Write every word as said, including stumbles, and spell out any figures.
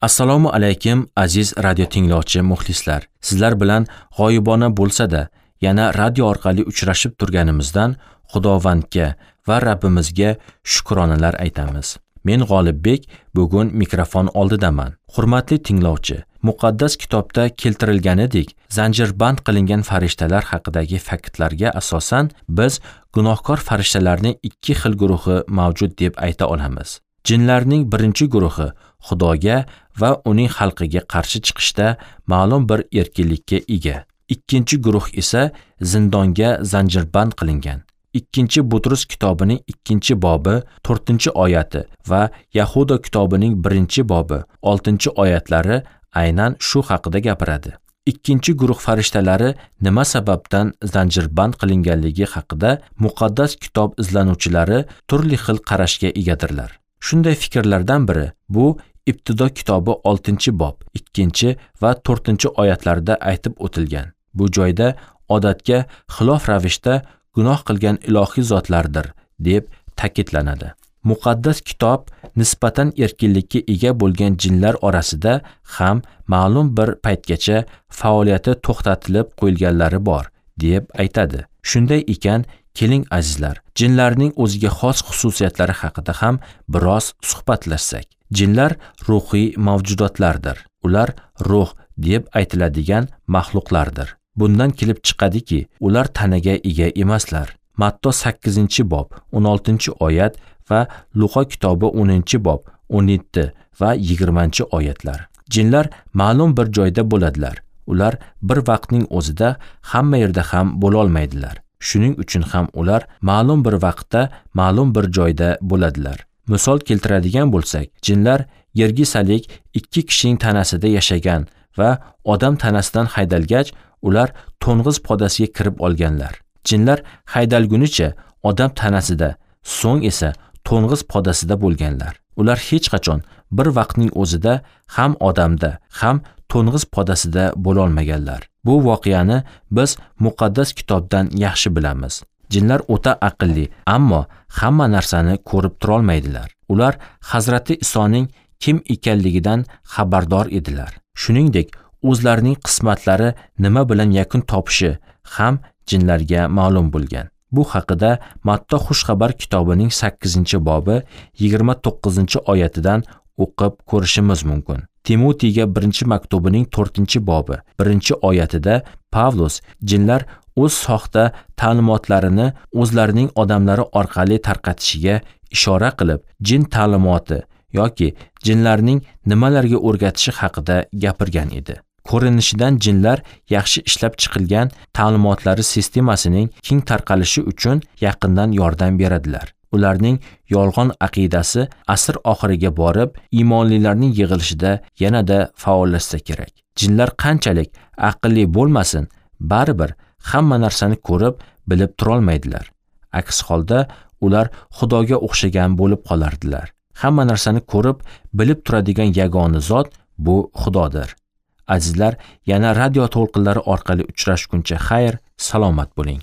Assalomu alaykum aziz radio tinglovchi muxlislar. Sizlar bilan g'oyibona bo'lsa-da, yana radio orqali uchrashib turganimizdan Xudovandga va Rabbimizga shukronalar aytamiz. Men G'olibbek bugun mikrofon oldidaman. Hurmatli tinglovchi, muqaddas kitobda keltirilganidek, zanjirband qilingan farishtalar haqidagi faktlarga asosan biz gunohkor farishtalarning ikki xil guruhi mavjud deb ayta olamiz. Jinlarning birinchi guruhi Xudoga va uning xalqiga qarshi chiqishda ma'lum bir erkinlikka ega. Ikkinchi guruh esa zindonga zanjirband qilingan. Ikkinchi Butrus kitobining ikkinchi bobi to'rtinchi oyati va Yahuda kitobining birinchi bobi oltinchi oyatlari aynan shu haqida gapiradi. Ikkinchi guruh farishtalari nima sababdan zanjirband qilinganligi haqida muqaddas kitob izlanuvchilari turli xil qarashga egadirlar. Shunday fikrlardan biri bu Ibtido kitobi oltinchi bob ikkinchi va to'rtinchi oyatlarda aytib o'tilgan. Bu joyda odatga xilof ravishda gunoh qilgan ilohiy zotlardir deb ta'kidlanadi. Muqaddas kitob nisbatan erkinlikka ega bo'lgan jinlar orasida ham ma'lum bir paytgacha faoliyati to'xtatilib qo'yilganlari bor deb aytadi. Shunday ekan, keling azizlar, jinlarning o'ziga xos xususiyatlari haqida ham biroz suhbatlashsak. Jinlar ruhiy mavjudotlardir. Ular ruh deb aytiladigan maxluqlardir. Bundan kelib chiqadiki, ular tanaga ega emaslar. Matto sakkizinchi bob o'n oltinchi oyat va Luqa kitobi o'ninchi bob o'n yetti va yigirmanchi oyatlar. Jinlar ma'lum bir joyda bo'ladilar. Ular bir vaqtning o'zida hamma yerda ham bo'la olmaydilar. Shuning uchun ham ular ma'lum bir vaqtda ma'lum bir joyda bo'ladilar. Misol keltiradigan bo'lsak, jinlar yergisalik ikki kishining tanasida yashagan va odam tanasidan haydalgach, ular to'ng'iz podasiga kirib olganlar. Jinlar haydalgunicha odam tanasida, so'ng esa to'ng'iz podasida bo'lganlar. Ular hech qachon bir vaqtning o'zida ham odamda, ham to'ng'iz podasida bo'la olmaganlar. Bu voqeani biz muqaddas kitobdan yaxshi bilamiz. Jinlar o'ta aqlli, ammo hamma narsani ko'rib tura olmaydilar. Ular Hazrati Isoning kim ekanligidan xabardor edilar. Shuningdek, o'zlarining qismatlari nima bilan yakun topishi ham jinlarga ma'lum bo'lgan. Bu haqida Matto Xushxabar kitobining sakkizinchi bobi yigirma to'qqizinchi oyatidan o'qib ko'rishimiz mumkin. Timotiyga birinchi maktubining to'rtinchi bobi birinchi oyatida Pavlus jinlar o'z soxta ta'limotlarini o'zlarining odamlari orqali tarqatishiga ishora qilib, jin ta'limoti yoki jinlarning nimalarga o'rgatishi haqida gapirgan edi. Ko'rinishidan jinlar yaxshi ishlab chiqilgan ta'limotlari sistemasining keng tarqalishi uchun yaqindan yordam beradilar. Ularning yolg'on aqidasi asr oxiriga borib, iymonlilarning yig'ilishida yanada faollashsa kerak. Jinlar qanchalik aqlli bo'lmasin, baribir hamma narsani ko'rib, bilib turolmaydilar. Aks holda ular Xudoga o'xshagan bo'lib qolardilar. Hamma narsani ko'rib, bilib turadigan yagona zot bu Xudodir. Azizlar, yana radio to'lqinlari orqali uchrashguncha xayr, salomat bo'ling.